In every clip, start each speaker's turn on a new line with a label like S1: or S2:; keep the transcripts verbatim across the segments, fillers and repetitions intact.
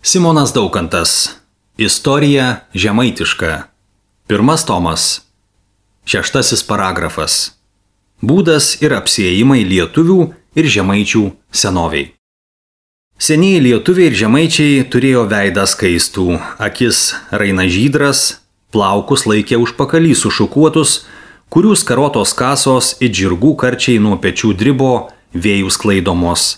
S1: Simonas Daukantas. Istorija žemaitiška. Pirmas tomas. Šeštasis paragrafas. Būdas ir apsiėjimai lietuvių ir žemaičių senoviai. Senieji lietuviai ir žemaičiai turėjo veidą skaistų, akis raina žydras, plaukus laikė užpakalį sušukuotus, kurių skarotos kasos it žirgų karčiai nuo pečių dribo, vėjų sklaidomos.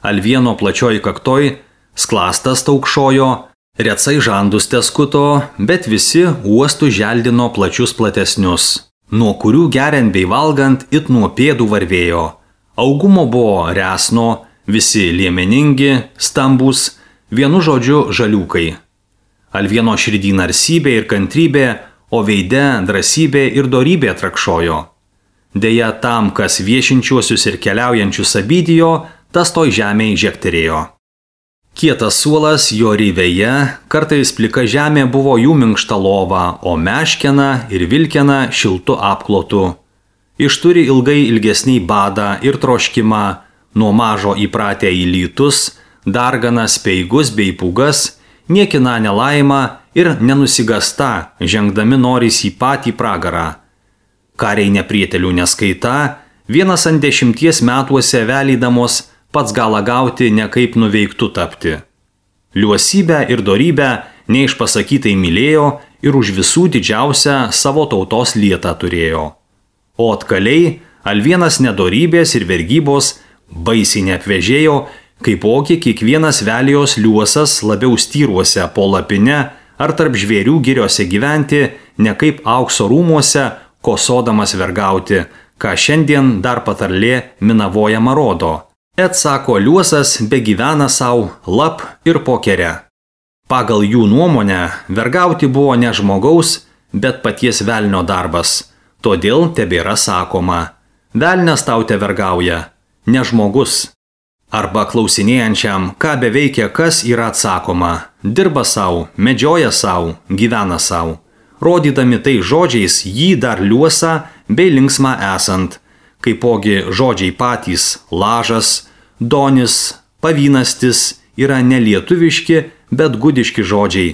S1: Alvieno plačioj kaktoj sklastas taukšojo, recai žandus teskuto, bet visi uostų želdino plačius platesnius, nuo kurių geriant bei valgant it nuo pėdų varvėjo. Augumo buvo resno, visi liemeningi, stambus, vienu žodžiu žaliukai. Alvieno širdį narsybė ir kantrybė, o veide drąsybė ir dorybė trakšojo. Deja, tam, kas viešinčiuosius ir keliaujančius abidijo, tas toj žemėj žekterėjo. Kietas suolas jo ryvėje, kartais plika žemė buvo jų minkšta lova, o meškena ir vilkena šiltu apklotu. Išturi ilgai ilgesniai badą ir troškimą, nuo mažo įpratę į lytus, dargana speigus bei pūgas, niekina nelaimą ir nenusigasta, žengdami norys į patį pragarą. Kariai neprietelių neskaita, vienas ant dešimties metuose velydamos pats galą gauti nekaip nuveiktų tapti. Liuosybę ir dorybę neišpasakytai mylėjo ir už visų didžiausią savo tautos lietą turėjo. O atkaliai Alvienas nedorybės ir vergybos baisiai neapvežėjo, kaipogi kiekvienas velijos liuosas labiau styruose po lapine ar tarp žvėrių giriose gyventi, ne kaip aukso rūmuose, kosodamas vergauti, ką šiandien dar patarlė minavojama rodo. Et sako liuosas begyvena sau lap ir pokere. Pagal jų nuomonę, vergauti buvo ne žmogaus, bet paties velnio darbas. Todėl tebėra sakoma, velnias tau te vergauja, ne žmogus. Arba klausinėjančiam, ką beveikia kas yra atsakoma, dirba sau, medžioja sau, gyvena sau. Rodydami tai žodžiais jį dar liuosą bei linksmą esant. Kaipogi žodžiai patys lažas, donis, pavynastis yra nelietuviški, bet gudiški žodžiai.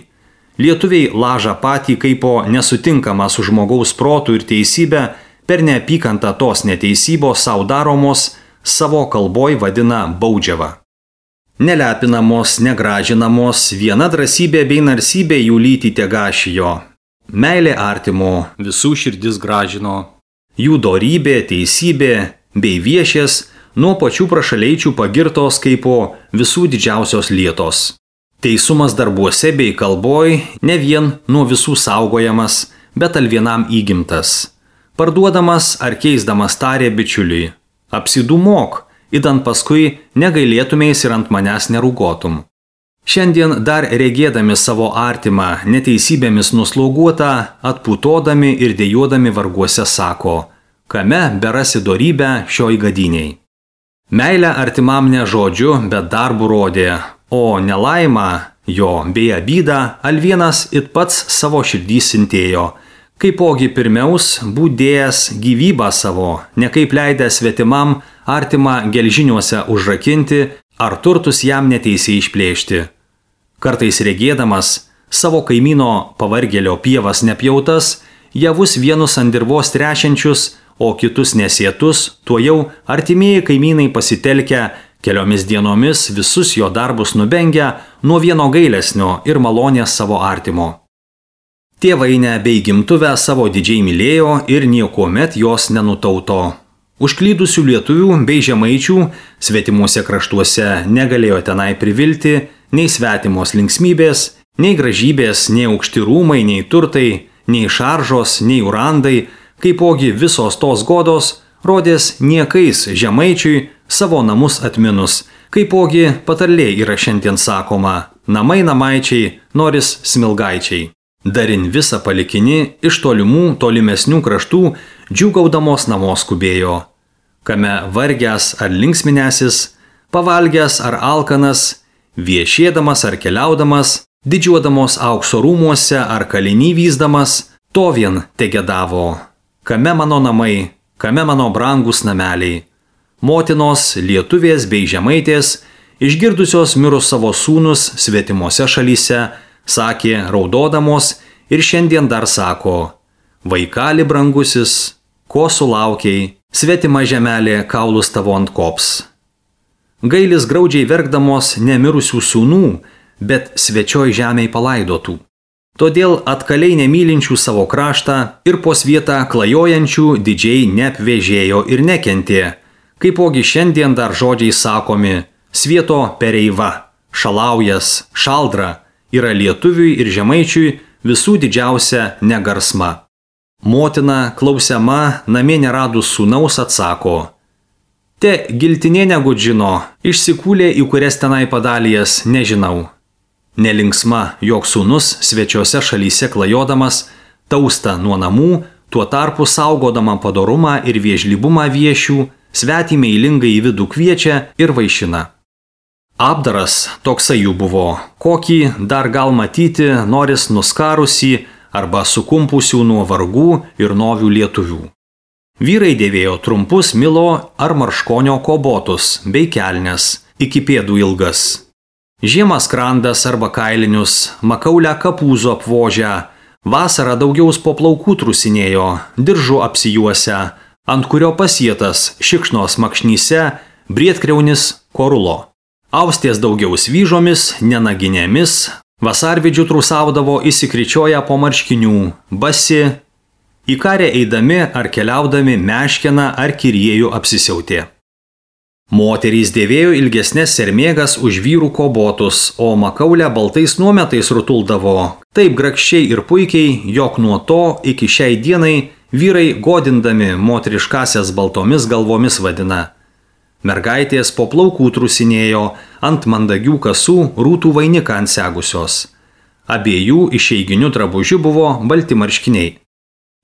S1: Lietuviai lažą patį kaipo nesutinkamą su žmogaus protu ir teisybę per neapykantą tos neteisybos sau daromos savo kalboj vadina baudžiava. Nelepinamos, negražinamos, viena drąsybė bei narsybė jų lyti tegašijo. Meilė artimo visų širdis gražino. Jų dorybė, teisybė bei viešės nuo pačių prašaleičių pagirtos kaipo visų didžiausios lietos. Teisumas darbuose bei kalboj ne vien nuo visų saugojamas, bet alvienam įgimtas. Parduodamas ar keisdamas tarė bičiuliui, apsidūmok, idant paskui negailėtumės ir ant manęs nerūgotum. Šiandien dar regėdami savo artimą neteisybėmis nuslauguotą, atputodami ir dejuodami varguose sako, kame berasi dorybę šioj gadiniai. Meilę artimam ne žodžiu, bet darbu rodė, o nelaimą jo bei abydą Alvienas it pats savo širdį sintėjo, kaipogi pirmiaus būdėjęs gyvybą savo, nekaip leidęs svetimam artimą gelžiniuose užrakinti ar turtus jam neteisiai išplėšti. Kartais regėdamas savo kaimyno pavargėlio pievas nepjautas, javus vienus ant dirvos trešiančius, o kitus nesėtus, tuo jau artimieji kaimynai pasitelkę keliomis dienomis visus jo darbus nubengia nuo vieno gailesnio ir malonės savo artimo. Tėvainę bei gimtuvę savo didžiai mylėjo ir niekuomet jos nenutauto. Užklydusių lietuvių bei žemaičių svetimuose kraštuose negalėjo tenai privilti nei svetimos linksmybės, nei gražybės, nei aukšti rūmai, nei turtai, nei šaržos, nei urandai, kaipogi visos tos godos rodės niekais žemaičiui savo namus atminus, kaipogi patarlė yra šiandien sakoma, namai namaičiai, noris smilgaičiai. Darin visą palikinį iš tolimų tolimesnių kraštų džiūgaudamos namo skubėjo. Kame vargęs ar linksminęsis, pavalgęs ar alkanas, viešėdamas ar keliaudamas, didžiuodamos aukso rūmuose ar kalinį vyzdamas, to vien tegedavo. Kame mano namai, kame mano brangus nameliai. Motinos, lietuvės bei žemaitės išgirdusios mirus savo sūnus svetimose šalyse, sakė raudodamos ir šiandien dar sako: vaikali brangusis, ko sulaukiai, svetima žemelė kaulus tavo ant kops. Gailis graudžiai verkdamos nemirusių sūnų, bet svečioj žemėj palaidotų. Todėl atkaliai nemylinčių savo kraštą ir po svietą klajojančių didžiai neapvežėjo ir nekentė, kaipogi šiandien dar žodžiai sakomi: svieto pereiva, šalaujas, šaldra yra lietuviui ir žemaičiui visų didžiausia negarsma. Motina, klausiama, namie neradus sūnaus, atsako: te giltinė negudžino, išsikūlė į kurias tenai padalijas, nežinau. Nelinksma, jog sūnus svečiose šalyse klajodamas tausta nuo namų, tuo tarpu saugodama padorumą ir viežlybumą viešių, svetį meilingai į vidų kviečia ir vaišina. Apdaras toksai jų buvo, kokį dar gal matyti noris nuskarusį arba sukumpusių nuo vargų ir novių lietuvių. Vyrai dėvėjo trumpus milo ar marškonio kobotus bei kelnes, iki pėdų ilgas. Žiemą skrandas arba kailinius, makaulę kapūzo apvožę, vasarą daugiaus po plaukų trusinėjo, diržu apsijuose, ant kurio pasietas šikšnos makšnyse, briedkriaunis korulo. Austės daugiaus vyžomis, nenaginėmis, vasarvidžių trusaudavo įsikričioję po marškinių, basi, į karę eidami ar keliaudami meškeną ar kiriejų apsisiautė. Moterys dėvėjo ilgesnės sermėgas už vyrų kobotus, o makaulę baltais nuometais rutuldavo, taip grakščiai ir puikiai, jog nuo to iki šiai dienai vyrai godindami moteriškasias baltomis galvomis vadina. Mergaitės po plaukų trusinėjo, ant mandagių kasų rūtų vainiką ansegusios. Abiejų išeiginių drabužių buvo balti marškiniai.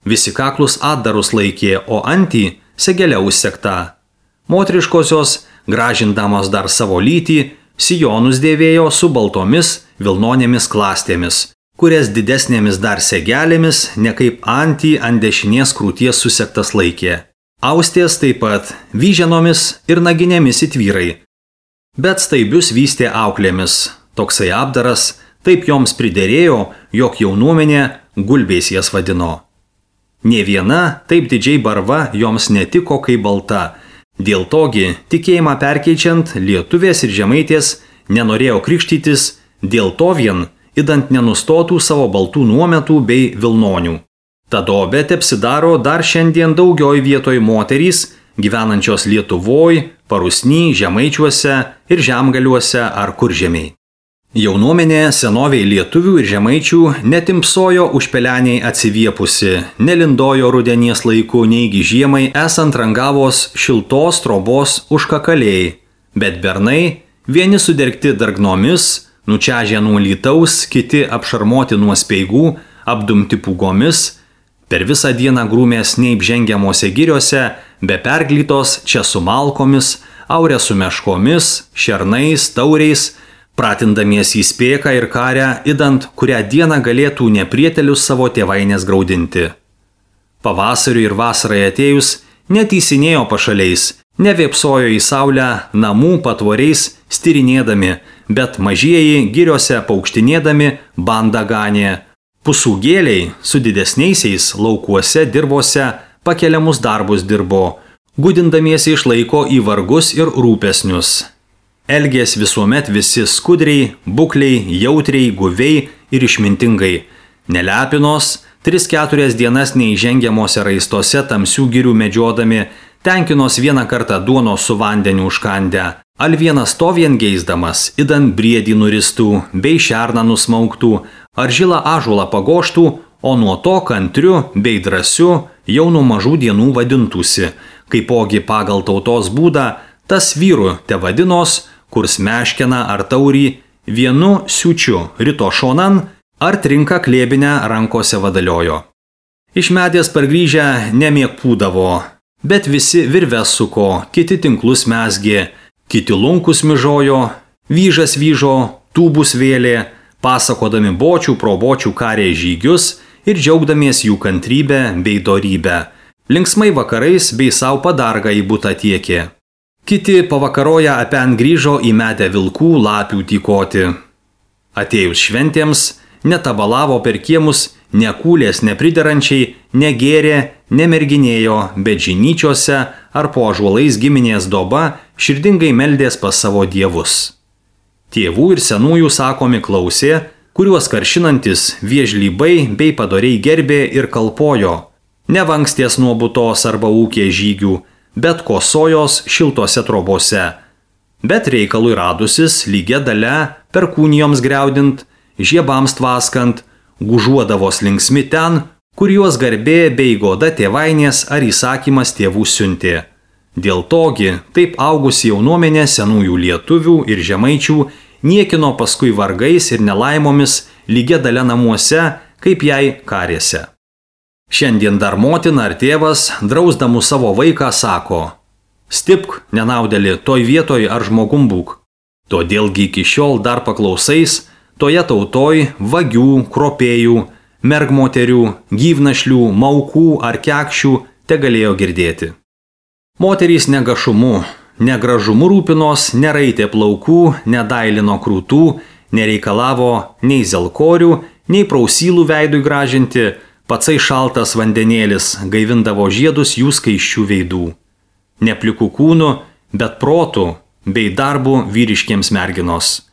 S1: Visi kaklus atdarus laikė, o antį segelė užsekta. Moteriškosios, gražindamos dar savo lytį, sijonus dėvėjo su baltomis vilnonėmis klastėmis, kurias didesnėmis dar segelėmis, ne kaip antį ant dešinės krūties susektas laikė. Austės taip pat vyženomis ir naginėmis įtvyrai. Bet staibius vystė auklėmis. Toksai apdaras taip joms priderėjo, jog jaunuomenė gulbiais jas vadino. Nė viena taip didžiai barva joms netiko kaip balta. Dėl togi, tikėjimą perkeičiant, lietuvės ir žemaitės nenorėjo krikštytis, dėl to vien, idant nenustotų savo baltų nuometų bei vilnonių. Ta dobė tepsidaro dar šiandien daugioj vietoj moterys, gyvenančios Lietuvoj, Parusny, Žemaičiuose ir Žemgaliuose ar Kuržemiai. Jaunuomenė senoviai lietuvių ir žemaičių netimpsojo užpeleniai atsiviepusi, nelindojo rudenies laiku neigi žiemai esant rangavos šiltos trobos užkakaliai, bet bernai, vieni sudergti dargnomis, nučiažę nuo lytaus, kiti apšarmoti nuo speigų, apdumti pūgomis, per visą dieną grūmės neįpžengiamose giriose, be perglytos čia su malkomis, aurė su meškomis, šernais, tauriais, pratindamiesi į spėką ir karę, idant kurią dieną galėtų neprietelius savo tėvainės graudinti. Pavasariui ir vasarai atėjus, netysinėjo pašaliais, nevėpsojo į saulę namų patvoriais styrinėdami, bet mažieji giriose paukštinėdami bandą ganė. Pusūgėliai su didesniaisiais laukuose dirvose pakeliamus darbus dirbo, gudindamiesi išlaiko į vargus ir rūpesnius. Elgės visuomet visi skudriai, bukliai, jautriai, guviai ir išmintingai. Nelepinos, tris keturias dienas neįžengiamose raistose tamsių girių medžiodami, tenkinos vieną kartą duonos su vandeniu užkandę, al vienas to vien geisdamas, idant briedį nuristų, bei šerną nusmauktų, ar žilą ąžuolą pagoštų, o nuo to kantriu bei drąsiu jau nuo mažų dienų vadintųsi, kaipogi pagal tautos būdą, tas vyru te vadinos, kurs meškeną ar taurį vienu siučiu rito šonan ar trinka klėbinę rankose vadaliojo. Iš medės pargrįžę nemiegpūdavo, bet visi virves suko, kiti tinklus mezgė, kiti lunkus mižojo, vyžas vyžo, tūbus vėlė, pasakodami bočių pro bočių karė žygius ir džiaugdamies jų kantrybę bei dorybę. Linksmai vakarais bei savo padargą į butą tiekė. Kiti pavakaroja apen grįžo į medę vilkų lapių tykoti. Atėjus šventėms, netabalavo per kiemus, nekūlės nepriderančiai, negėrė, nemerginėjo, bet žinyčiose ar po ąžuolais giminės doba širdingai meldės pas savo dievus. Tėvų ir senųjų sakomi klausė, kuriuos karšinantis viežlybai bei padoriai gerbė ir kalpojo, nevanksties nuo butos arba ūkė žygių, bet kosojos šiltose trobose. Bet reikalui radusis lygia dalia, perkūnijoms griaudint, žiebams tvaskant, gužuodavos linksmi ten, kur juos garbė bei goda tėvainės ar įsakymas tėvų siuntė. Dėl togi, taip augusi jaunuomenė senųjų lietuvių ir žemaičių niekino paskui vargais ir nelaimomis lygia dalia namuose, kaip jai karėse. Šiandien dar motina ar tėvas, drausdamų savo vaiką, sako: stipk, nenaudėli, toj vietoj ar žmogum būk. Todėlgi iki šiol dar paklausais, toje tautoj vagių, kropėjų, mergmoterių, gyvnašlių, maukų ar kekšių te galėjo girdėti. Moterys negašumu, negražumu rūpinos, neraitė plaukų, nedailino krūtų, nereikalavo nei zelkorių, nei prausylų veidui gražinti, patsai šaltas vandenėlis gaivindavo žiedus jų skaisčių veidų. Neplikų kūnų, bet protų bei darbų vyriškiems merginos.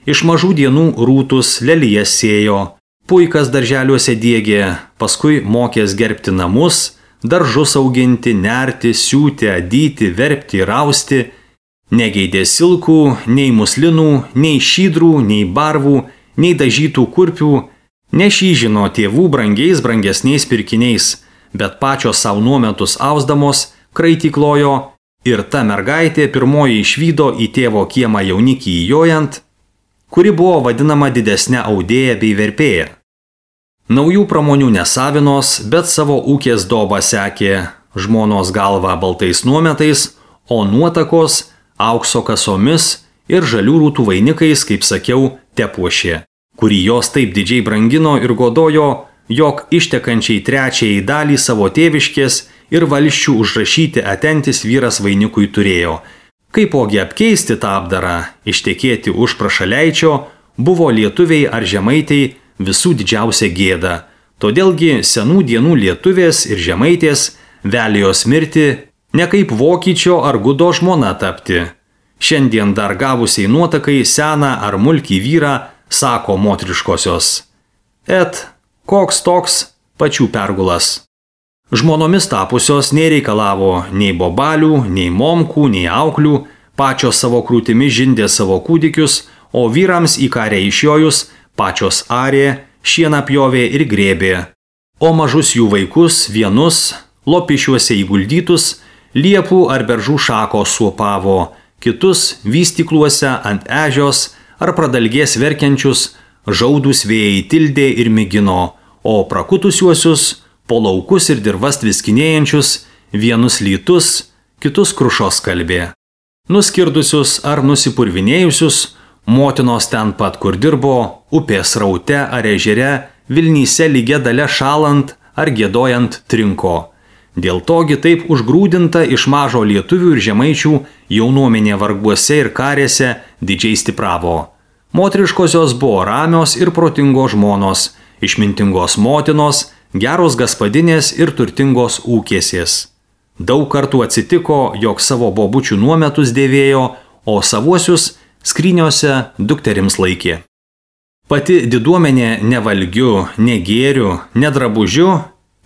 S1: Iš mažų dienų rūtus lelijas sėjo, puikas darželiuose diegė, paskui mokės gerbti namus, daržus auginti, nerti, siūti, adyti, verpti, rausti, negeidė silkų, nei muslinų, nei šydrų, nei barvų, nei dažytų kurpių, nešyžino tėvų brangiais brangesniais pirkiniais, bet pačios savo nuometus ausdamos kraityklojo ir ta mergaitė pirmoji išvydo į tėvo kiemą jaunikį įjojant, kuri buvo vadinama didesnė audėja bei verpėja. Naujų pramonių nesavinos, bet savo ūkės dobą sekė, žmonos galva baltais nuometais, o nuotakos aukso kasomis ir žalių rūtų vainikais, kaip sakiau, tepuošė, kurį jos taip didžiai brangino ir godojo, jog ištekančiai trečiai dalį savo tėviškės ir valščių užrašyti atentis vyras vainikui turėjo. Kaipogi apkeisti tą apdarą, ištekėti už prašaleičio, buvo lietuviai ar žemaitei visų didžiausia gėda. Todėlgi senų dienų lietuvės ir žemaitės velijos mirti, ne kaip vokiečio ar gudo žmona tapti. Šiandien dar gavusiai nuotakai seną ar mulkį vyrą sako motriškosios: et, koks toks, pačių pergulas. Žmonomis tapusios nereikalavo nei bobalių, nei momkų, nei auklių, pačios savo krūtimi žindė savo kūdikius, o vyrams į karę išjojus pačios arė, šieną pjovė ir grėbė, o mažus jų vaikus vienus, lopišiuose įguldytus, liepų ar beržų šakos suopavo, kitus vystykluose ant ežios ar pradalgės verkiančius žaudus vėjai tildė ir migino, o prakutusiuosius po laukus ir dirvas tviskinėjančius vienus lytus, kitus krušos kalbė. Nuskirdusius ar nusipurvinėjusius, motinos ten pat, kur dirbo, upės raute ar ežere, Vilnyse lygia dalia šalant ar giedojant trinko. Dėl togi taip užgrūdinta iš mažo lietuvių ir žemaičių jaunuomenė varguose ir karėse didžiai stipravo. Moteriškosios buvo ramios ir protingos žmonos, išmintingos motinos, geros gaspadinės ir turtingos ūkėsės. Daug kartų atsitiko, jog savo bobučių nuometus dėvėjo, o savuosius skryniuose dukterims laikė. Pati diduomenė nevalgiu, negėriu, nedrabužiu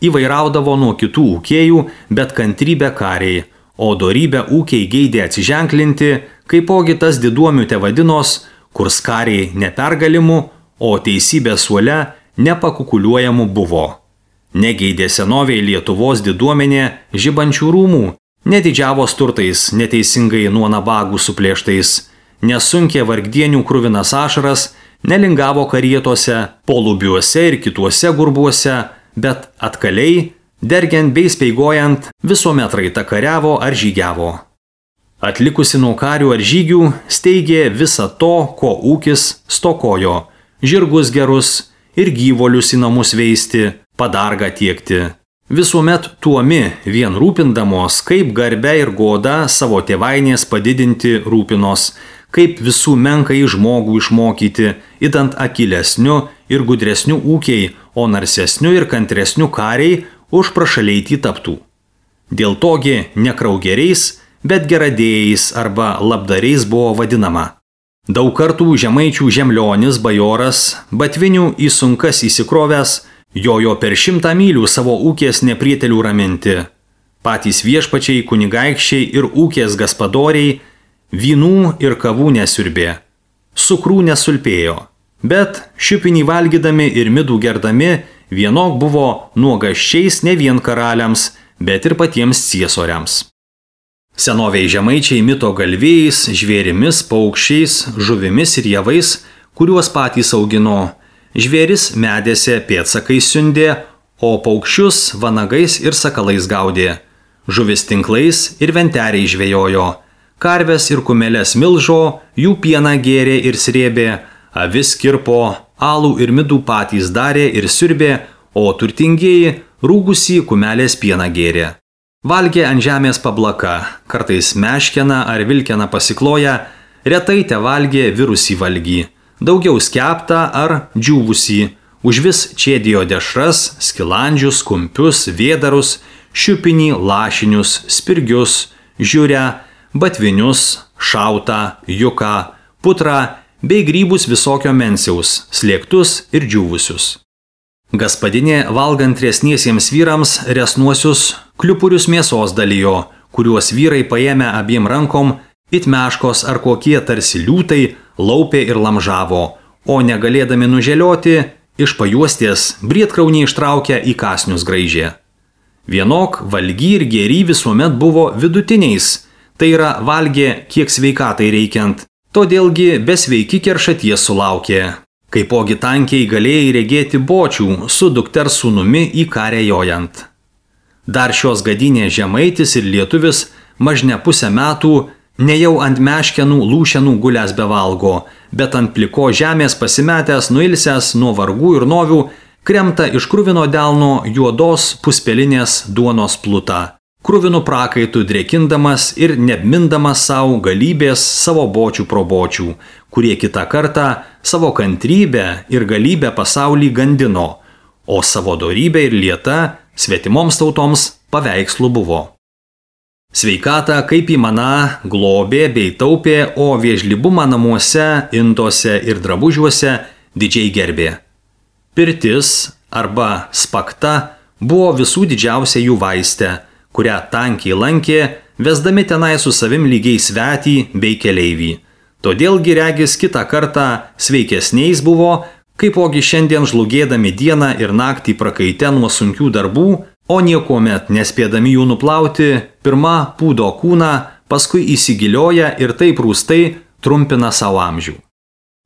S1: įvairaudavo nuo kitų ūkėjų, bet kantrybę kariai, o dorybę ūkiai geidė atsiženklinti, kaipogi tas diduomių te vadinos, kur skariai nepergalimu, o teisybė suole nepakukuliuojamu buvo. Negeidė senoviai Lietuvos diduomenė žibančių rūmų, nedidžiavos turtais neteisingai nuo nabagų suplėštais, nesunkė vargdienių kruvinas ašaras, nelingavo karietose, polubiuose ir kituose gurbuose, bet atkaliai, dergiant bei speigojant, visuomet raita kariavo ar žygiavo. Atlikusi nuo karių ar žygių, steigė visą to, ko ūkis stokojo – žirgus gerus ir gyvolius į namus veisti, padargą tiekti. visuomet tuomi vien rūpindamos, kaip garbę ir godą savo tėvainės padidinti rūpinos, kaip visų menkai žmogų išmokyti, idant akilesniu ir gudresniu ūkiai, o narsesniu ir kantresniu kariai už prašaleitį taptų. Dėl togi ne kraugeriais, bet geradėjais arba labdariais buvo vadinama. Daug kartų žemaičių žemlionis bajoras, batvinių į sunkas įsikrovęs, jojo per šimtą mylių savo ūkės neprietelių raminti. Patys viešpačiai, kunigaikščiai ir ūkės gaspadoriai vynų ir kavų nesiurbė, cukrų nesulpėjo, bet šiupinį valgydami ir midų gerdami vienok buvo nuogaščiais ne vien karaliams, bet ir patiems ciesoriams. Senoviai žemaičiai mito galvėjais, žvėrimis, paukščiais, žuvimis ir javais, kuriuos patys augino. Žvėris medėse pėdsakais siundė, o paukščius vanagais ir sakalais gaudė. Žuvis tinklais ir venteriai žvejojo. Karves ir kumelės milžo, jų pieną gėrė ir srėbė, avis kirpo, alų ir midų patys darė ir siurbė, o turtingieji rūgusį kumelės pieną gėrė. Valgė ant žemės pablaka, kartais meškeną ar vilkeną pasikloja, retai te valgė virusį valgį, daugiau skeptą ar džiūvusį, užvis čėdėjo dešras, skilandžius, kumpius, vėdarus, šiupinį, lašinius, spirgius, žiūrę, batvinius, šautą, juką, putrą bei grybus visokio mensiaus, slėgtus ir džiūvusius. Gaspadinė valgant resniesiems vyrams resnuosius kliupurius mėsos dalijo, kuriuos vyrai paėmė abiem rankom, it meškos ar kokie tarsi liūtai laupė ir lamžavo, o negalėdami nuželioti, iš pajuostės briedkraunį ištraukę į kasnius graižė. Vienok valgy ir gėry visuomet buvo vidutiniais, tai yra valgė kiek sveikatai reikiant, todėlgi besveiki keršaties sulaukė. Kaipogi tankiai galėjai regėti bočių su dukters sūnumi į karę jojant. Dar šios gadinės žemaitis ir lietuvis mažne pusę metų ne jau ant meškenų lūšenų gulęs bevalgo, bet ant pliko žemės pasimetęs, nuilsęs nuo vargų ir novių, kremta iš kruvino delno juodos puspelinės duonos plutą, kruvinu prakaitų drėkindamas ir neapmindamas savo galybės savo bočių probočių, kurie kitą kartą savo kantrybę ir galybę pasaulį gandino, o savo dorybę ir lietą svetimoms tautoms paveikslų buvo. Sveikatą kaip įmana globė bei taupė, o vėžlybumą namuose, indose ir drabužiuose didžiai gerbė. Pirtis arba spakta buvo visų didžiausia jų vaistė, kurią tankiai lankė, vesdami tenai su savim lygiai svetį bei keleivį. Todėlgi regis kitą kartą sveikesniais buvo, kaipogi šiandien žlugėdami dieną ir naktį prakaite nuo sunkių darbų, o niekuomet nespėdami jų nuplauti, pirma pūdo kūną, paskui įsigilioja ir taip rūstai trumpina savo amžių.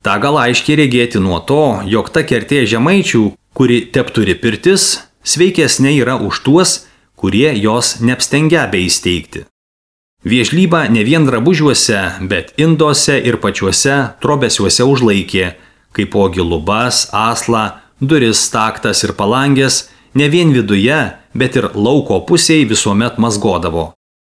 S1: Ta gal aiškiai regėti nuo to, jog ta kertė žemaičių, kuri tepturi pirtis, sveikesnė yra už tuos, kurie jos neapstengia beįsteigti. Vėžlybą ne vien drabužiuose, bet induose ir pačiuose trobesiuose užlaikė, kaipogi lubas, aslą, duris, staktas ir palangės, ne vien viduje, bet ir lauko pusėje visuomet mazgodavo.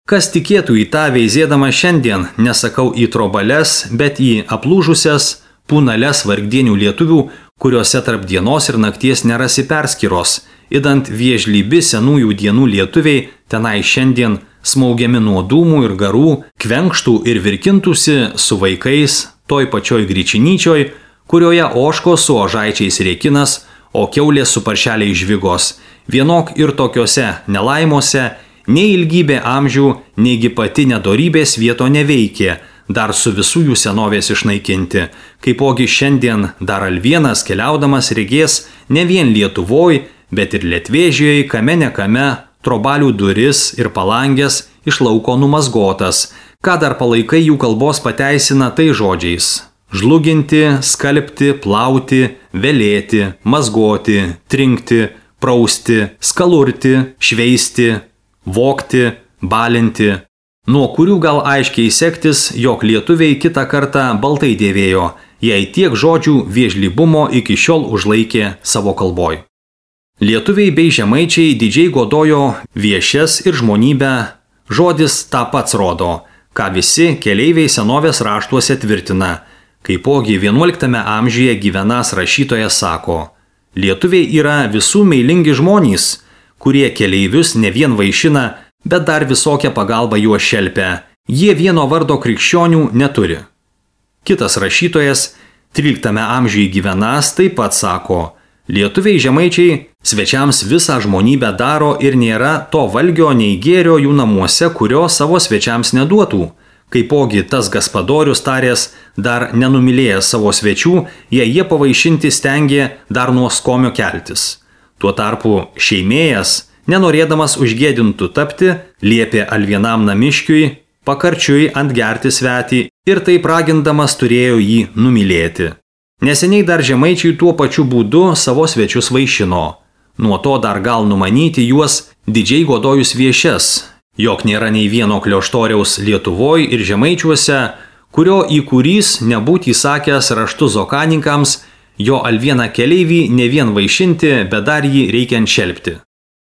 S1: Kas tikėtų į tą veizėdama šiandien, nesakau į trobales, bet į aplūžusias, pūnales vargdienių lietuvių, kuriuose tarp dienos ir nakties nerasi perskyros, idant vėžlybi senųjų dienų lietuviai tenai šiandien smaugiami nuo dūmų ir garų, kvenkštų ir virkintųsi su vaikais toj pačioj gryčinyčioj, kurioje oškos su ožaičiais rėkinas, o kiaulės su paršeliai žvigos. Vienok ir tokiose nelaimuose nei ilgybė amžių, neigi pati nedorybės vieto neveikė, dar su visų jų senovės išnaikinti, kaipogi šiandien dar alvienas keliaudamas regės ne vien Lietuvoj, bet ir Lietvėžijoje, kame ne kame, trobalių duris ir palangės iš lauko numazgotas, ką dar palaikai jų kalbos pateisina tai žodžiais: žluginti, skalbti, plauti, velėti, mazgoti, trinkti, prausti, skalurti, šveisti, vogti, balinti, nuo kurių gal aiškiai sektis, jog lietuviai kitą kartą baltai dėvėjo, jei tiek žodžių vėžlybumo iki šiol užlaikė savo kalboj. Lietuviai bei žemaičiai didžiai godojo viešes ir žmonybę, žodis tą pats rodo, ką visi keleiviai senovės raštuose tvirtina. Kaipogi vienuoliktame amžiuje gyvenąs rašytojas sako, lietuviai yra visų meilingi žmonės, kurie keleivius ne vien vaišina, bet dar visokią pagalbą juos šelpia. Jie vieno vardo krikščionių neturi. Kitas rašytojas, tryliktame amžiuje gyvenąs, taip pat sako, lietuviai žemaičiai svečiams visą žmonybę daro ir nėra to valgio nei gėrio jų namuose, kurio savo svečiams neduotų. Kaipogi tas gaspadorius tarės, dar nenumylėjęs savo svečių, jei jie pavaišinti stengė dar nuo skomio keltis. Tuo tarpu šeimėjas, nenorėdamas užgėdintų tapti, liepė alvienam namiškiui pakarčiui antgerti svetį ir taip ragindamas turėjo jį numylėti. Neseniai dar žemaičiai tuo pačiu būdu savo svečius vaišino. Nuo to dar gal numanyti juos didžiai godojus viešes, jog nėra nei vieno klioštoriaus Lietuvoj ir žemaičiuose, kurio įkūrys nebūtų įsakęs raštu zokaninkams, jo alvieną keleivį ne vien vaišinti, bet dar jį reikiant šelpti.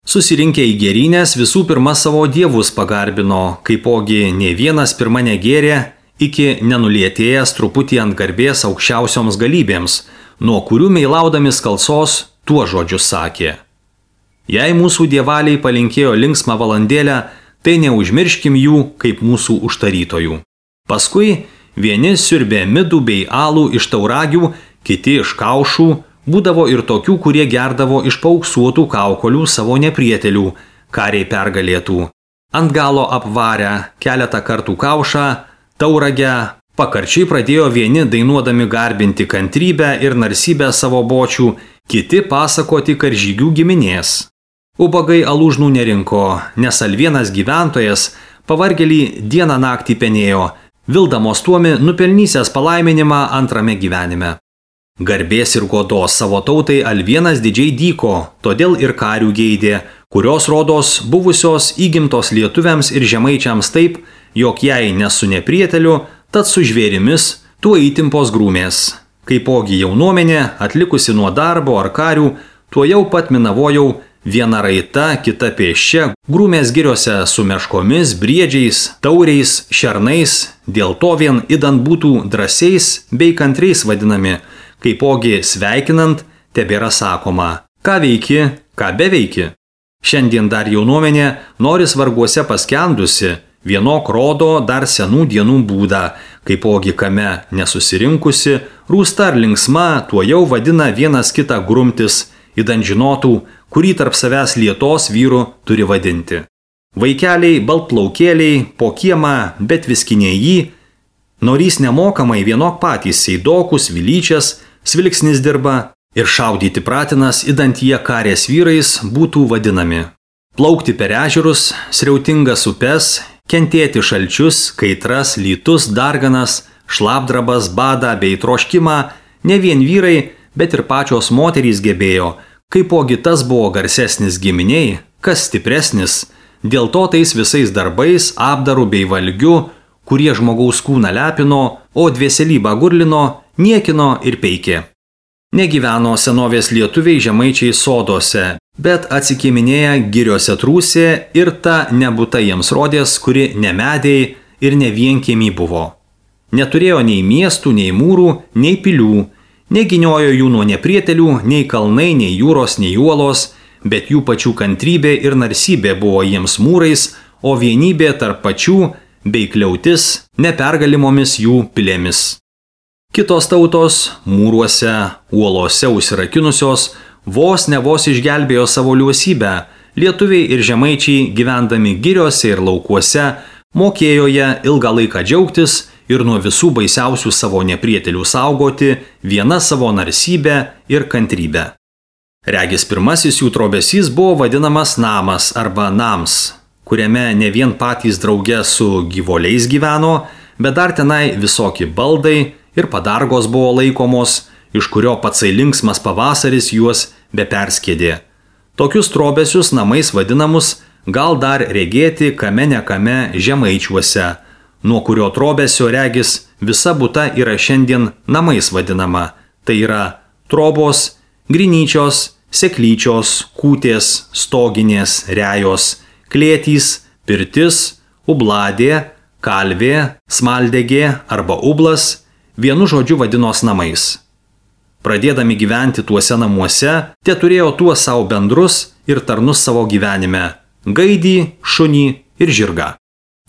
S1: Susirinkę į gėrynės visų pirma savo dievus pagarbino, kaipogi ne vienas pirma negėrė, iki nenulietėjęs truputį ant garbės aukščiausioms galybėms, nuo kurių meilaudami skalsos tuo žodžius sakė. Jei mūsų dievaliai palinkėjo linksmą valandėlę, tai neužmirškim jų kaip mūsų užtarytojų. Paskui vieni siurbė midų bei alų iš tauragių, kiti iš kaušų, būdavo ir tokių, kurie gerdavo iš paauksuotų kaukolių savo neprietelių, kariai pergalėtų. Ant galo apvarę keletą kartų kaušą, tauragę, pakarčiai pradėjo vieni dainuodami garbinti kantrybę ir narsybę savo bočių, kiti pasakoti karžygių giminės. Ubagai alūžnų nerinko, nes alvienas gyventojas pavargelį dieną naktį penėjo, vildamos tuomi nupelnysęs palaiminimą antrame gyvenime. Garbės ir godos savo tautai alvienas didžiai dyko, todėl ir karių geidė, kurios rodos buvusios įgimtos lietuviams ir žemaičiams taip, jog jei ne su neprieteliu, tad su žvėrimis tuo įtimpos grūmės. Kaipogi jaunuomenė, atlikusi nuo darbo ar karių, tuo jau pat minavojau, viena raita, kita pėsčia, grūmės giriose su meškomis, briedžiais, tauriais, šernais, dėl to vien idant būtų drąsiais bei kantriais vadinami, kaipogi sveikinant tebėra sakoma, ką veiki, ką beveiki. Šiandien dar jaunuomenė noris varguose paskendusi, vienok rodo dar senų dienų būdą, kaipogi kame nesusirinkusi, rūsta ar linksma, tuo jau vadina vienas kitą grumtis, idant žinotų, kurį tarp savęs lietos vyrų turi vadinti. Vaikeliai, baltplaukėliai, po kiemą, bet viskiniai jį, norys nemokamai vienok patys seidokus, vilyčias, svilksnis dirba ir šaudyti pratinas, idant jie karės vyrais būtų vadinami. Plaukti per ežerus, sriautingas upes, kentėti šalčius, kaitras, lytus, darganas, šlapdrabas, badą bei troškimą, ne vien vyrai, bet ir pačios moterys gebėjo, kaipogi tas buvo garsesnis giminiai, kas stipresnis, dėl to tais visais darbais, apdaru bei valgiu, kurie žmogaus kūną lepino, o dvieselybą gurlino, niekino ir peikė. Negyveno senovės lietuviai žemaičiai sodose, bet atsikėminėję giriose trūsė ir ta nebūta jiems rodės, kuri ne medžiai ir ne vienkiemį buvo. Neturėjo nei miestų, nei mūrų, nei pilių, neginiojo jų nuo neprietelių, nei kalnai, nei jūros, nei uolos, bet jų pačių kantrybė ir narsybė buvo jiems mūrais, o vienybė tarp pačių bei kliautis nepergalimomis jų pilėmis. Kitos tautos mūruose, uolose užsirakinusios, vos ne vos išgelbėjo savo liuosybę, lietuviai ir žemaičiai gyvendami giriose ir laukuose, mokėjo ją ilgą laiką džiaugtis ir nuo visų baisiausių savo neprietelių saugoti viena savo narsybę ir kantrybę. Regis pirmasis jų trobesys buvo vadinamas namas arba nams, kuriame ne vien patys drauge su gyvuliais gyveno, bet dar tenai visokie baldai ir padargos buvo laikomos, iš kurio patsai linksmas pavasaris juos beperskėdė. Tokius trobesius namais vadinamus gal dar regėti kame ne kame žemaičiuose, nuo kurio trobesio regis visa būta yra šiandien namais vadinama, tai yra trobos, grinyčios, seklyčios, kūtės, stoginės, rejos, klėtys, pirtis, ubladė, kalvė, smaldegė arba ublas, vienu žodžiu vadinos namais. Pradėdami gyventi tuose namuose, tie turėjo tuos savo bendrus ir tarnus savo gyvenime – gaidį, šunį ir žirgą.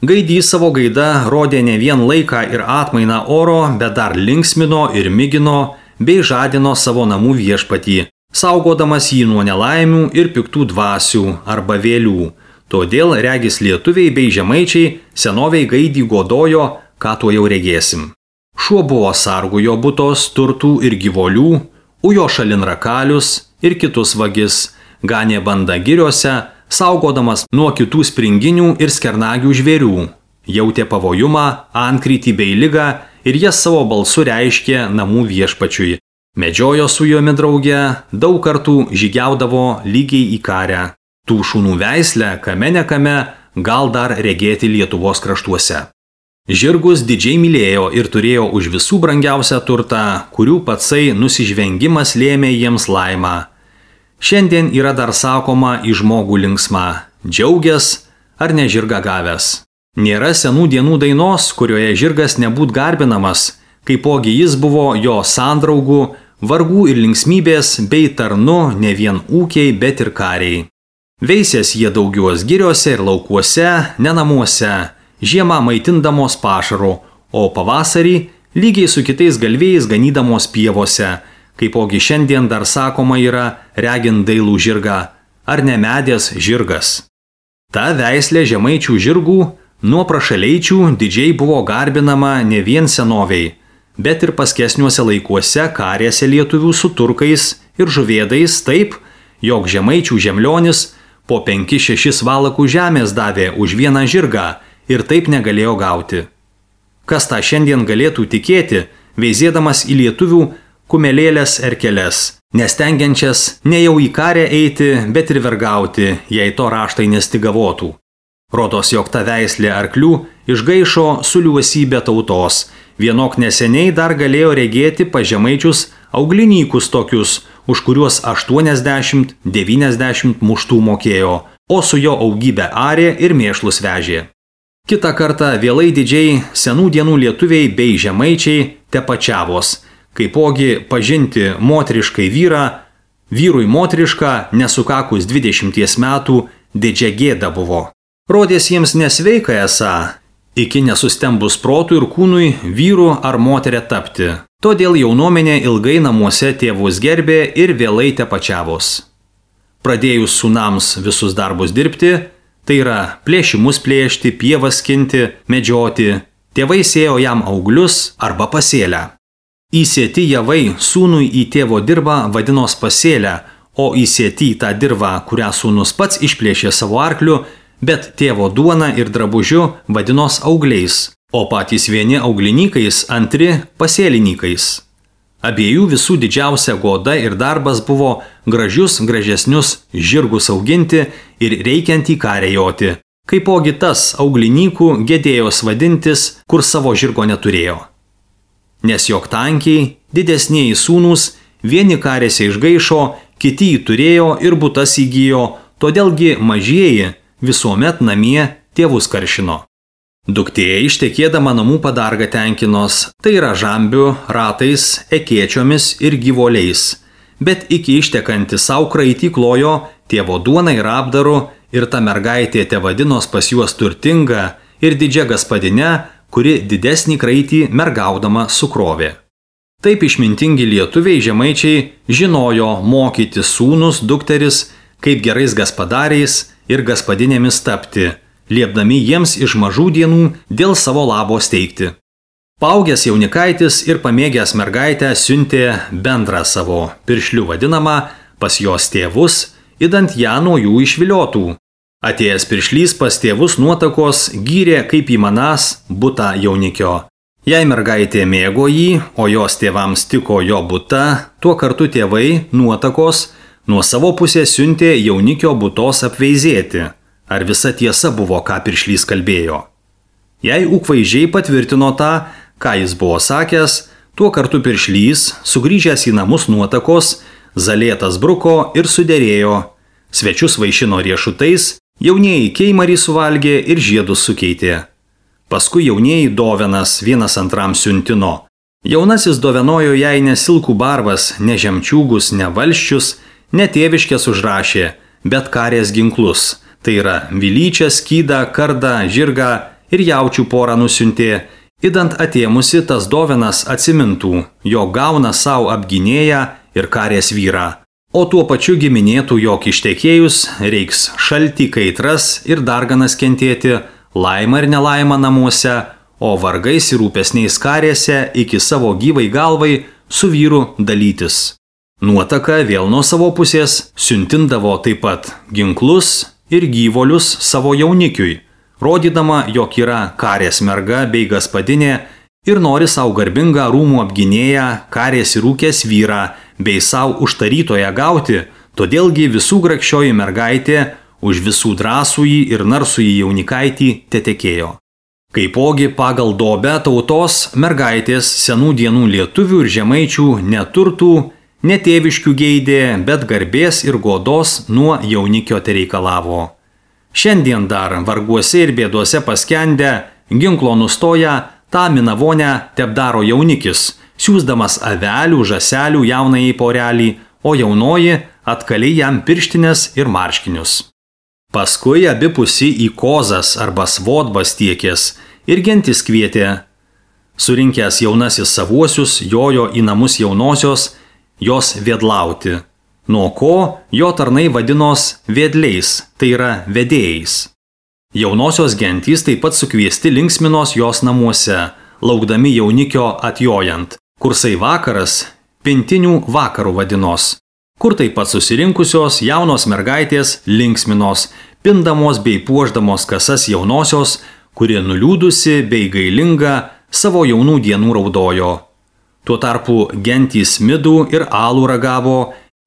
S1: Gaidys savo gaida rodė ne vien laiką ir atmainą oro, bet dar linksmino ir migino bei žadino savo namų viešpatį, saugodamas jį nuo nelaimių ir piktų dvasių arba vėlių. Todėl regis lietuviai bei žemaičiai senoviai gaidį godojo, ką tuo jau regėsim. Šuo buvo sargu jo butos, turtų ir gyvolių, ujo šalin rakalius ir kitus vagis, ganė bandą giriuose, saugodamas nuo kitų springinių ir skernagių žvėrių. Jautė pavojumą, antkrytį bei ligą ir jas savo balsu reiškė namų viešpačiui. Medžiojo su juomi drauge, daug kartų žygiaudavo lygiai į karę. Tų šunų veislę, kame nekame, gal dar regėti Lietuvos kraštuose. Žirgus didžiai mylėjo ir turėjo už visų brangiausią turtą, kurių patsai nusižvengimas lėmė jiems laimą. Šiandien yra dar sakoma į žmogų linksma, džiaugęs ar ne žirgą gavęs. Nėra senų dienų dainos, kurioje žirgas nebūt garbinamas, kaipogi jis buvo jo sandraugų, vargų ir linksmybės bei tarnu ne vien ūkiai, bet ir kariai. Veisės jie daugios giriuose ir laukuose, ne namuose, žiemą maitindamos pašaru, o pavasarį lygiai su kitais galvėjais ganydamos pievose, kaipogi šiandien dar sakoma yra regint dailų žirgą, ar ne medės žirgas. Ta veislė žemaičių žirgų nuo prašaleičių didžiai buvo garbinama ne vien senoviai, bet ir paskesniuose laikuose karėse lietuvių su turkais ir žuvėdais taip, jog žemaičių žemlionis po penki šešis valakų žemės davė už vieną žirgą ir taip negalėjo gauti. Kas tą šiandien galėtų tikėti, veizėdamas į lietuvių kumelėlės erkeles, nestengiančias ne jau į karę eiti, bet ir vergauti, jei to raštai nestigavotų. Rodos, jog ta veislė arklių išgaišo suliuosybę tautos, vienok neseniai dar galėjo regėti pažemaičius auglinykus tokius, už kuriuos aštuoniasdešimt devyniasdešimt muštų mokėjo, o su jo augybė arė ir mėšlus vežė. Kita kartą vėlai didžiai senų dienų lietuviai bei žemaičiai tepačiavos, kaipogi pažinti moteriškai vyrą, vyrui moterišką nesukakus dvidešimties metų didžia gėda buvo. Rodės jiems nesveika esą, iki nesustembus protų ir kūnui vyru ar moterė tapti. Todėl jaunuomenė ilgai namuose tėvus gerbė ir vėlai tepačiavos. Pradėjus sūnams visus darbus dirbti, tai yra plėšimus plėšti, pievas skinti, medžioti, tėvai sėjo jam auglius arba pasėlę. Įsėti javai sūnui į tėvo dirbą vadinos pasėlę, o įsėti į tą dirbą, kurią sūnus pats išplėšė savo arkliu, bet tėvo duona ir drabužiu vadinos augliais, o patys vieni auglinykais, antri pasėlinykais. Abiejų visų didžiausia goda ir darbas buvo gražius, gražesnius žirgus auginti ir reikiant į karę joti, kaipogi tas auglinykų gedėjos vadintis, kur savo žirgo neturėjo. Nes jog tankiai, didesnieji sūnūs, vieni karėse išgaišo, kiti jį turėjo ir butas įgyjo, todėlgi mažieji visuomet namie tėvus karšino. Duktė ištekėdama namų padargą tenkinos, tai yra žambių, ratais, ekėčiomis ir gyvoliais, bet iki ištekanti savo kraitį klojo tėvo duoną ir apdaru ir ta mergaitė tevadinos pas juos turtinga ir didžia gaspadine, kuri didesnį kraitį mergaudama sukrovė. Taip išmintingi lietuviai žemaičiai žinojo mokyti sūnus, dukteris, kaip gerais gaspadariais ir gaspadinėmis tapti, liepdami jiems iš mažų dienų dėl savo labo steigti. Paaugęs jaunikaitis ir pamėgęs mergaitę siuntė bendrą savo piršlių vadinamą pas jos tėvus, idant ją nuo jų išviliotų. Atėjęs piršlys pas tėvus nuotakos gyrė kaip įmanas butą jaunikio. Jei mergaitė mėgo jį, o jos tėvams tiko jo buta, tuo kartu tėvai nuotakos nuo savo pusės siuntė jaunikio butos apveizėti. Ar visa tiesa buvo, ką piršlys kalbėjo? Jei ūkvaizdžiai patvirtino tą, ką jis buvo sakęs, tuo kartu piršlys, sugrįžęs į namus nuotakos, zalėtas bruko ir suderėjo. Svečius vaišino riešutais, jaunieji keimarį suvalgė ir žiedus sukeitė. Paskui jaunieji dovenas vienas antram siuntino. Jaunasis dovenojo jai ne silkų barvas, ne žemčiūgus, ne valščius, ne tėviškės užrašė, bet karės ginklus. Tai yra vilyčią, skydą, kardą, žirgą ir jaučių porą nusiuntė, idant atėmusi tas dovenas atsimintų, jo gauna savo apginėją ir karės vyrą. O tuo pačiu giminėtų, jog ištekėjus reiks šaltį, kaitras ir darganas kentėti, laimą ir nelaimą namuose, o vargais ir rūpesniais karėse iki savo gyvai galvai su vyru dalytis. Nuotaka vėl nuo savo pusės siuntindavo taip pat ginklus ir gyvolius savo jaunikiui, rodydama, jog yra karės merga bei gaspadinė ir nori savo garbingą rūmų apginėją, karės ir rūkės vyrą bei savo užtarytoją gauti, todėlgi visų grakščioji mergaitė už visų drąsųjį ir narsųjį jaunikaitį tetekėjo. Kaipogi pagal dobę tautos mergaitės senų dienų lietuvių ir žemaičių neturtų, netėviškių geidė, bet garbės ir godos nuo jaunikio tereikalavo. Šiandien dar varguose ir bėduose paskendę, ginklo nustoja, tą minavonę tepdaro jaunikis, siūsdamas avelių, žaselių jaunajai porelį, o jaunoji atkaliai jam pirštinės ir marškinius. Paskui abipusi į kozas arba svodbas tiekės ir gentis kvietė. Surinkęs jaunasis savuosius, jojo į namus jaunosios, jos vedlauti. Nuo ko jo tarnai vadinos vedliais, tai yra vedėjais. Jaunosios gentys taip pat sukviesti linksminos jos namuose, laukdami jaunikio atjojant, kursai vakaras pintinių vakarų vadinos, kur taip pat susirinkusios jaunos mergaitės linksminos, pindamos bei puošdamos kasas jaunosios, kuri nuliūdusi bei gailinga savo jaunų dienų raudojo. Tuo tarpu gentys midų ir alų ragavo,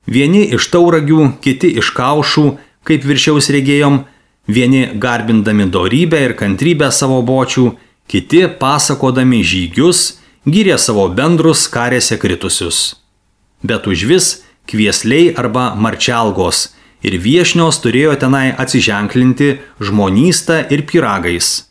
S1: vieni iš tauragių, kiti iš kaušų, kaip viršiaus regėjom, vieni garbindami dorybę ir kantrybę savo bočių, kiti pasakodami žygius, gyrė savo bendrus karėse kritusius. Bet užvis kviesliai arba marčialgos ir viešnios turėjo tenai atsiženklinti žmonystą ir pyragais.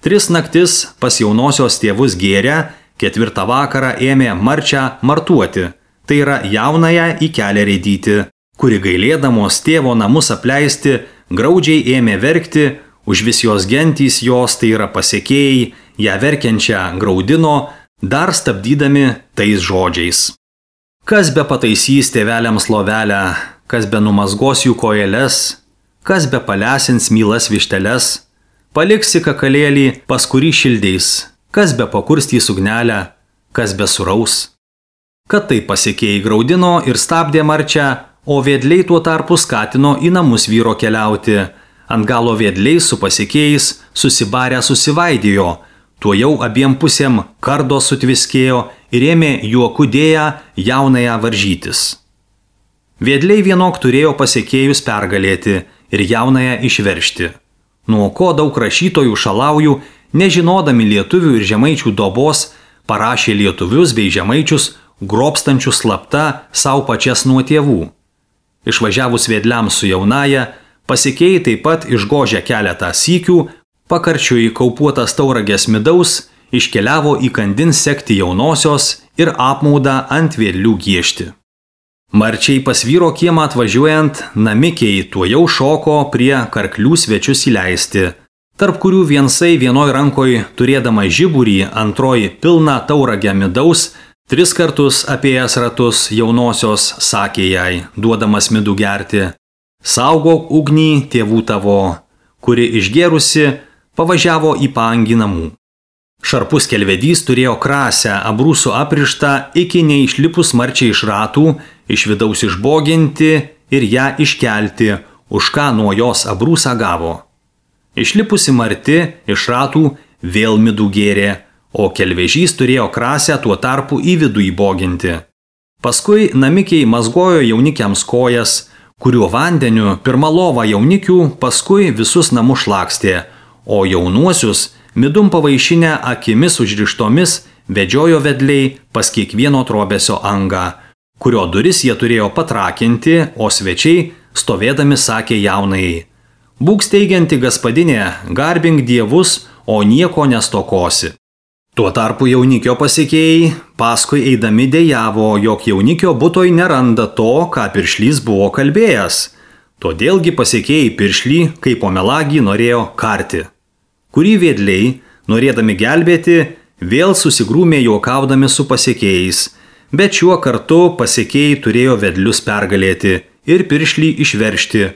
S1: Tris naktis pas jaunosios tėvus gėrę, ketvirtą vakarą ėmė marčią martuoti, tai yra jaunąją į kelią reidyti, kuri gailėdamos tėvo namus apleisti, graudžiai ėmė verkti, už vis jos gentys jos, tai yra pasekėjai, ją verkiančią graudino, dar stabdydami tais žodžiais. Kas be pataisys tėveliams lovelę, kas be numazgos jų kojeles, kas be palesins mylas višteles, paliksi kakalėlį, pas kurį šildeis, kas be pakurstys ugnelę, kas be suraus. Kad tai pasekėjai graudino ir stabdė marčią, o vedliai tuo tarpu skatino į namus vyro keliauti. Ant galo vedliai su pasekėjais susibarę susivaidėjo, tuo jau abiem pusėm kardo sutviskėjo ir ėmė juoku dėję jaunąją varžytis. Vedliai vienok turėjo pasekėjus pergalėti ir jaunąją išveršti. Nuo ko daug rašytojų šalaujų, nežinodami lietuvių ir žemaičių dobos, parašė lietuvius bei žemaičius grobstančius slapta savo pačias nuo tėvų. Išvažiavus vedliams su jaunaja, pasekėjai taip pat išgožę keletą sykių, pakarčiui kaupuotas tauragės midaus, iškeliavo į kandin sekti jaunosios ir apmaudą ant vedlių giešti. Marčiai pas vyro kiemą atvažiuojant, namikiai tuo jau šoko prie karklių svečius įleisti, tarp kurių viensai vienoj rankoj turėdama žiburį, antroji pilną tauragę midaus, tris kartus apėjęs ratus jaunosios sakė jai, duodamas midų gerti: saugok ugnį tėvų tavo, kuri išgėrusi pavažiavo į paangį namų. Šarpus kelvedys turėjo krasę abrūsų aprištą iki neišlipus marčiai iš ratų, iš vidaus išboginti ir ją iškelti, už ką nuo jos abrūsą gavo. Išlipusi marti iš ratų vėl midų gėrė, o kelvežys turėjo krasę tuo tarpu į vidų įboginti. Paskui namikiai mazgojo jaunikiams kojas, kuriuo vandeniu pirmą lovą jaunikių, paskui visus namus šlakstė, o jaunuosius midum pavaišinę akimis užrištomis vedžiojo vedliai pas kiekvieno trobesio angą, kurio duris jie turėjo patrakinti, o svečiai stovėdami sakė jaunajai: būk steigianti gaspadinė, garbink dievus, o nieko nestokosi. Tuo tarpu jaunikio pasekėjai paskui eidami dejavo, jog jaunikio butoj neranda to, ką piršlys buvo kalbėjęs. Todėlgi pasekėjai piršlį, kaip po melagį, norėjo karti. Kurį vedliai, norėdami gelbėti, vėl susigrūmė juokaudami su pasekėjais, bet šiuo kartu pasekėjai turėjo vedlius pergalėti ir piršlį išveršti,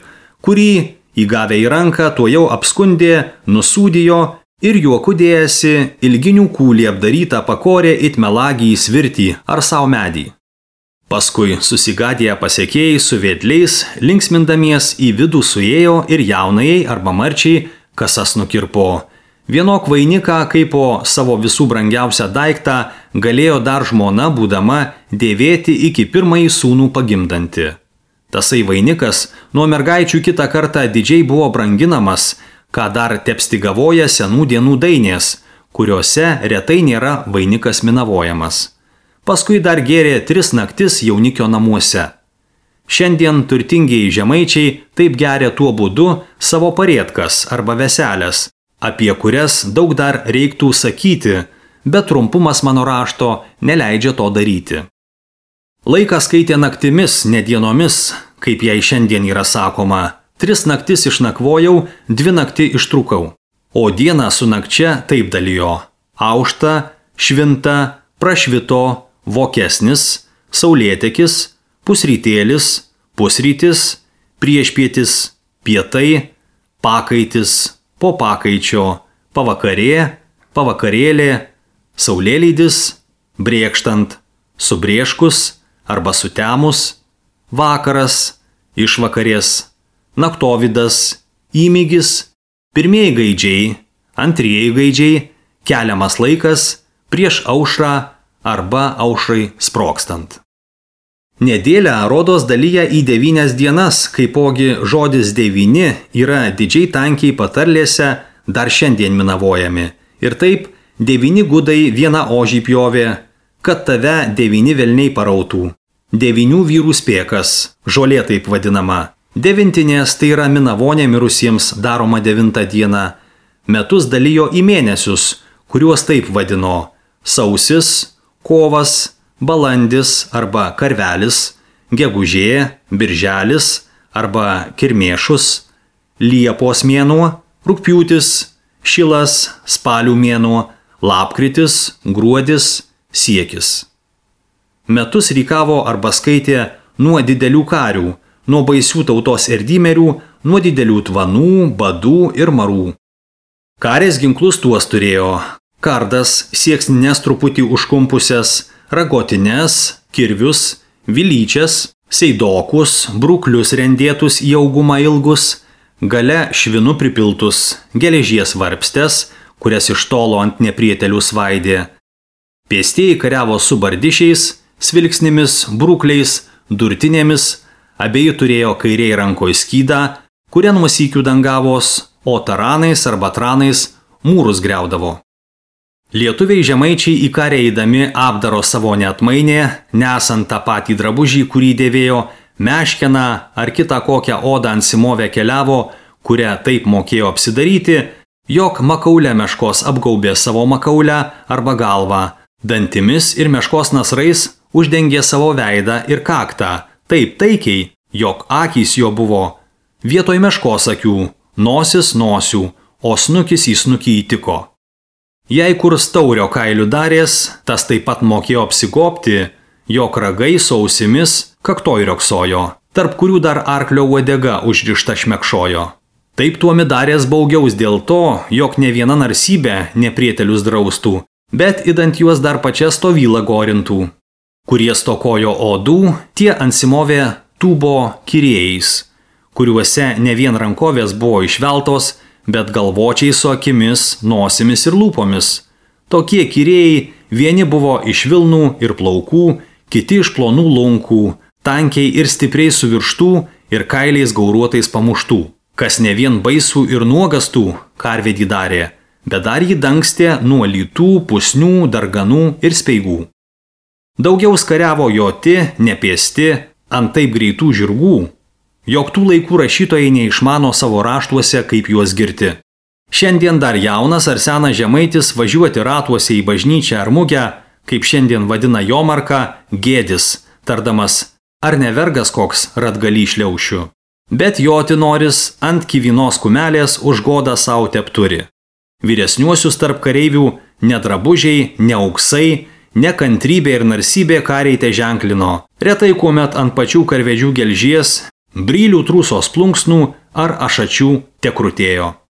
S1: kurį, įgavę į ranką, tuojau apskundė, nusūdijo ir juoku dėjasi ilginių kūlį apdarytą pakorė it melagį į svirtį ar savo medį. Paskui susigadėję pasekėjai su vedliais, linksmindamies į vidų suėjo ir jaunajai arba marčiai kasas nukirpo. Vienok vainiką, kaip po savo visų brangiausią daiktą, galėjo dar žmona būdama dėvėti iki pirmąjį sūnų pagimdanti. Tasai vainikas nuo mergaičių kitą kartą didžiai buvo branginamas, ką dar tepstigavoja senų dienų dainės, kuriuose retai nėra vainikas minavojamas. Paskui dar gėrė tris naktis jaunikio namuose. Šiandien turtingieji žemaičiai taip geria tuo būdu savo parėtkas arba veselės, apie kurias daug dar reiktų sakyti, bet trumpumas mano rašto neleidžia to daryti. Laiką skaitė naktimis, ne dienomis, kaip jai šiandien yra sakoma. Tris naktis išnakvojau, dvi nakti ištrūkau. O dieną su nakčia taip dalijo: aušta, švinta, prašvito, vokesnis, saulėtekis, pusrytėlis, pusrytis, priešpietis, pietai, pakaitis, po pakaičio, pavakarė, pavakarėlė, saulėlydis, brėkštant, subrėškus arba sutemus, vakaras, išvakarės, naktovidas, įmygis, pirmieji gaidžiai, antrieji gaidžiai, keliamas laikas, prieš aušrą arba aušrai sprogstant. Nedėlę rodos dalyja į devynias dienas, kaipogi žodis devyni yra didžiai tankiai patarlėse dar šiandien minavojami. Ir taip devyni gudai vieną ožį pjovė, kad tave devyni velniai parautų. Devynių vyrų spėkas, žolė taip vadinama. Devintinės tai yra minavonė mirusiems daroma devintą dieną. Metus dalyjo į mėnesius, kuriuos taip vadino: sausis, kovas, balandis arba karvelis, gegužė, birželis arba kirmėšus, liepos mėnuo, rugpjūtis, šilas, spalių mėnuo, lapkritis, gruodis, siekis. Metus rykavo arba skaitė nuo didelių karių, nuo baisių tautos erdymerių, nuo didelių tvanų, badų ir marų. Karės ginklus tuos turėjo: kardas, sieksnines truputį užkumpusias, ragotines, kirvius, vilyčias, seidokus, bruklius rendėtus į augumą ilgus, gale švinu pripiltus, geležies varpstes, kurias iš tolo ant neprietelių svaidė. Pėstieji kariavo su bardišiais, svilksnimis, brukliais, durtinėmis, abeji turėjo kairiai rankoje skydą, kuria nuo sykių dangavos, o taranais arba tranais mūrus griaudavo. Lietuviai žemaičiai į karę eidami apdaro savo neatmainė, nesant tą patį drabužį, kurį dėvėjo, meškeną ar kitą kokią odą ant simovę keliavo, kurią taip mokėjo apsidaryti, jog makaulę meškos apgaubė savo makaulę arba galvą, dantimis ir meškos nasrais uždengė savo veidą ir kaktą, taip taikiai, jog akys jo buvo vietoj meškos akių, nosis nosių, o snukis į snukį įtiko. Jei kur staurio kailių darės, tas taip pat mokėjo apsigobti, jog ragai su ausimis kaktoj rioksojo, tarp kurių dar arklio uodega užrišta šmekšojo. Taip tuomi darės baugiaus dėl to, jog ne viena narsybė neprietelius draustų, bet idant juos dar pačia stovylą gorintų. Kurie stokojo odų, tie ansimovė tūbo kirėjais, kuriuose ne vien rankovės buvo išveltos, bet galvočiai su akimis, nosimis ir lūpomis. Tokie kirėjai vieni buvo iš vilnų ir plaukų, kiti iš plonų lunkų, tankiai ir stipriai suvirštų ir kailiais gauruotais pamuštų, kas ne vien baisų ir nuogastų karvedį darė, bet dar jį dangstė nuo lytų, pusnių, darganų ir speigų. Daugiau skariavo joti, nepėsti, ant taip greitų žirgų, jog tų laikų rašytojai neišmano savo raštuose, kaip juos girti. Šiandien dar jaunas ar senas žemaitis važiuoti ratuose į bažnyčią ar mugę, kaip šiandien vadina Jomarką, gėdis, tardamas, ar ne vergas koks ratgalį šliaušiu. Bet joti noris ant kivinos kumelės už godą sau tepturi. Vyresniuosius tarp kareivių ne drabužiai, ne auksai, ne kantrybė ir narsybė kariai te ženklino. Retai kuomet ant pačių karvedžių gelžies, brylių trūsos plunksnų ar ašačių te krutėjo.